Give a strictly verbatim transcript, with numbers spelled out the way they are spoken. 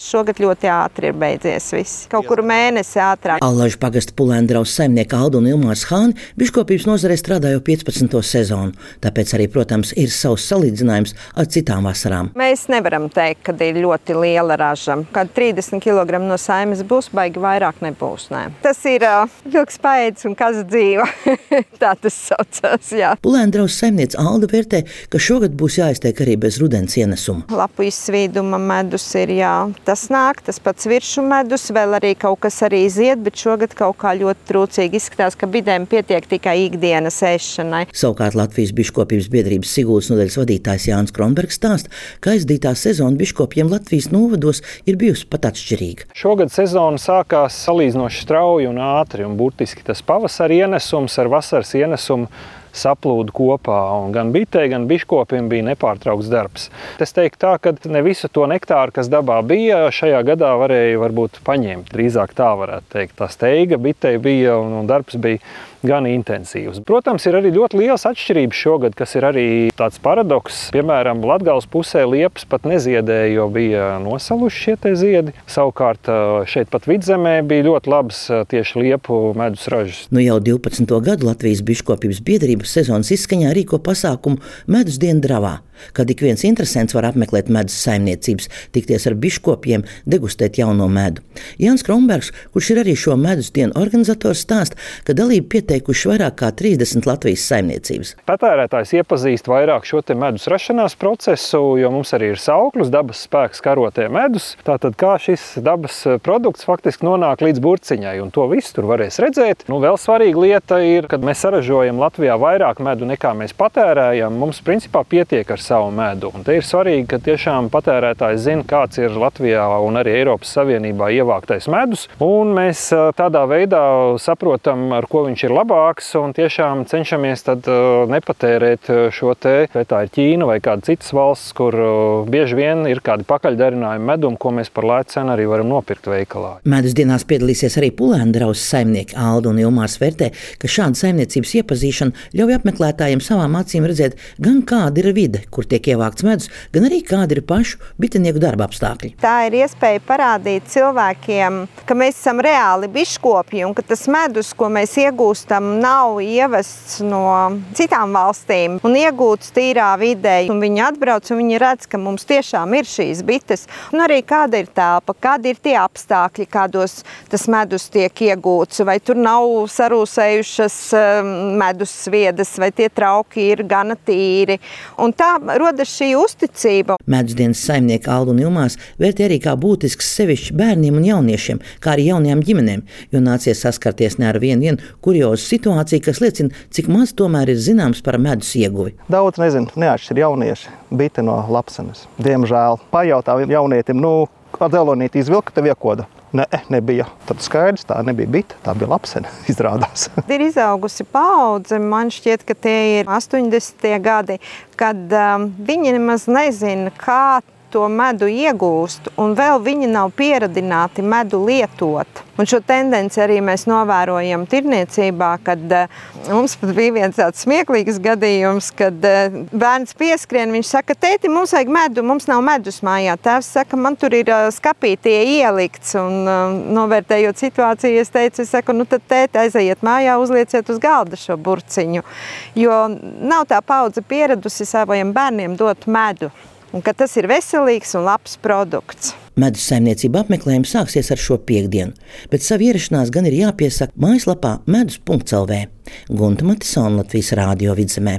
šogad ļoti ātri ir beidzies viss. Kaut kur mēnesi ātrāk. Allažu pagasta Pulēndraus saimnieka Alda un Ilmārs Hāni biškopības nozarē strādā jau piecpadsmito sezonu, tāpēc arī, protams, ir savs salīdzinājums ar citām vasarām. Mēs nevaram teikt, ka ir ļoti liela raža. Kad trīsdesmit kilogramu no saimes būs, baigi vairāk nebūs. Nē. Tas ir uh, vilks paēdis un kas dzīvo. Tā tas saucās, jā. Pulēndraus saimniece Alda vērtē, ka šogad būs jāiztiek arī bez rudens ienesuma. Lapu izsvīduma medus ir, jā. Tas nāk, tas pats viršu medus, vēl arī kaut kas arī zied, bet šogad kaut kā ļoti trūcīgi izskatās, ka bidēm pietiek tikai ikdienas ēšanai. Savukārt Latvijas biškopības biedrības Siguldas nodaļas vadītājs Jānis Kronbergs stāsta, ka aizdītā sezona biškopiem Latvijas novados ir bijusi pat atšķirīga. Šogad sezona sākās salīdzinoši strauji un ātri, un burtiski tas pavasara ienesums ar vasaras ienesumu saplūda kopā, un gan bitei, gan biškopiem bija nepārtraukts darbs. Es teiktu tā, ka ne visu to nektāru, kas dabā bija, šajā gadā varēja varbūt paņemt. Drīzāk tā varētu teikt. Tā steiga bitei bija un, un darbs bija gan intensīvs. Protams, ir arī ļoti liels atšķirības šogad, kas ir arī tāds paradoks. Piemēram, Latgales pusē liepas pat neziedēja, jo bija nosaluši šie te ziedi. Savukārt šeit pat Vidzemē bija ļoti labs tieši liepu medus ražas. Nu jau divpadsmito gadu Latvijas biškopības biedrības sezonas izskaņā rīko pasākumu Medus dienu Dravā, kad ik viens interesents var apmeklēt medus saimniecības, tikties ar biškopiem, degustēt jauno medu. Jānis Kronbergs, kurš ir arī šo medus dienu organizators, stāsta, ka dalību pieteikuši vairāk kā trīsdesmit Latvijas saimniecības. Patērētājs iepazīst vairāk šo te medus rašanās procesu, jo mums arī ir sauklis dabas spēks karotē medus. Tātad kā šis dabas produkts faktiski nonāk līdz burciņai, un to visu tur varēs redzēt. Nu, vēl svarīga lieta ir, kad mēs saražojam Latvijā vairāk medu nekā mēs patērējam, mums principā pietiek ar savu medu. Un te ir svarīgi, ka tiešām patērētājs zina, kāds ir Latvijā un arī Eiropas Savienībā ievāktais medus, un mēs tādā veidā saprotam, ar ko viņš ir labāks, un tiešām cenšamies tad nepatērēt šo te, vai tā ir Ķīna vai kāda citas valsts, kur bieži vien ir kādi pakaļdarinājumi medum, ko mēs par lētu cenu arī varam nopirkt veikalā. Medus dienās piedalīsies arī Pulēndraus saimnieki Alda un Ilmārs vērtē, ka šāda saimniecības iepazīšana ļauj apmeklētājiem savām acīm redzēt gan kāda ir vide, kur tiek ievākts medus, gan arī kādi ir pašu bitinieku darba apstākļi. Tā ir iespēja parādīt cilvēkiem, ka mēs esam reāli biškopi un ka tas medus, ko mēs iegūstam, nav ievests no citām valstīm un iegūts tīrā vidē. Un viņi atbrauc un viņi redz, ka mums tiešām ir šīs bites. Un arī kāda ir telpa, kādi ir tie apstākļi, kādos tas medus tiek iegūts, vai tur nav sarūsējušas medus sviedas, vai tie trauki ir gana tīri. Un tā rodas šī uzticība. Medus dienas saimnieki Alda un Ilmārs vērtē arī kā būtisks sevišķi bērniem un jauniešiem, kā arī jaunajām ģimenēm, jo nācies saskarties ne ar vienu vienu kuriozu situāciju, kas liecina, cik maz tomēr ir zināms par medus ieguvi. Daudz nezinu, neatšķir jaunieši bite no lapsenes. Diemžēl pajautā jaunietim, nu, ar dzelonīti izvilka, tev iekoda. Ne, nebija. Tad skaidrs, tā nebija bite, tā bija lapsene, izrādās. Ir izaugusi paudze, man šķiet, ka tie ir astoņdesmitie gadi, kad um, viņi nemaz nezina, kā to medu iegūst, un vēl viņi nav pieradināti medu lietot. Un šo tendenci arī mēs novērojam tirniecībā, kad uh, mums pat bija viens tāds smieklīgs gadījums, kad uh, bērns pieskrien, viņš saka, tēti, mums vajag medu, mums nav medus mājā. Tēvs saka, man tur ir uh, skapītie ielikts, un uh, novērtējot situāciju, es teicu, es saku, nu tad tēti aiziet mājā, uzlieciet uz galda šo burciņu, jo nav tā paudze pieradusi saviem bērniem dot medu. Un ka tas ir veselīgs un labs produkts. Medus saimniecība apmeklējums sāksies ar šo piektdienu, bet savu ierašanās gan ir jāpiesaka mājaslapā medus punkts el vē. Gunta Matisona, Latvijas Rādio Vidzemē.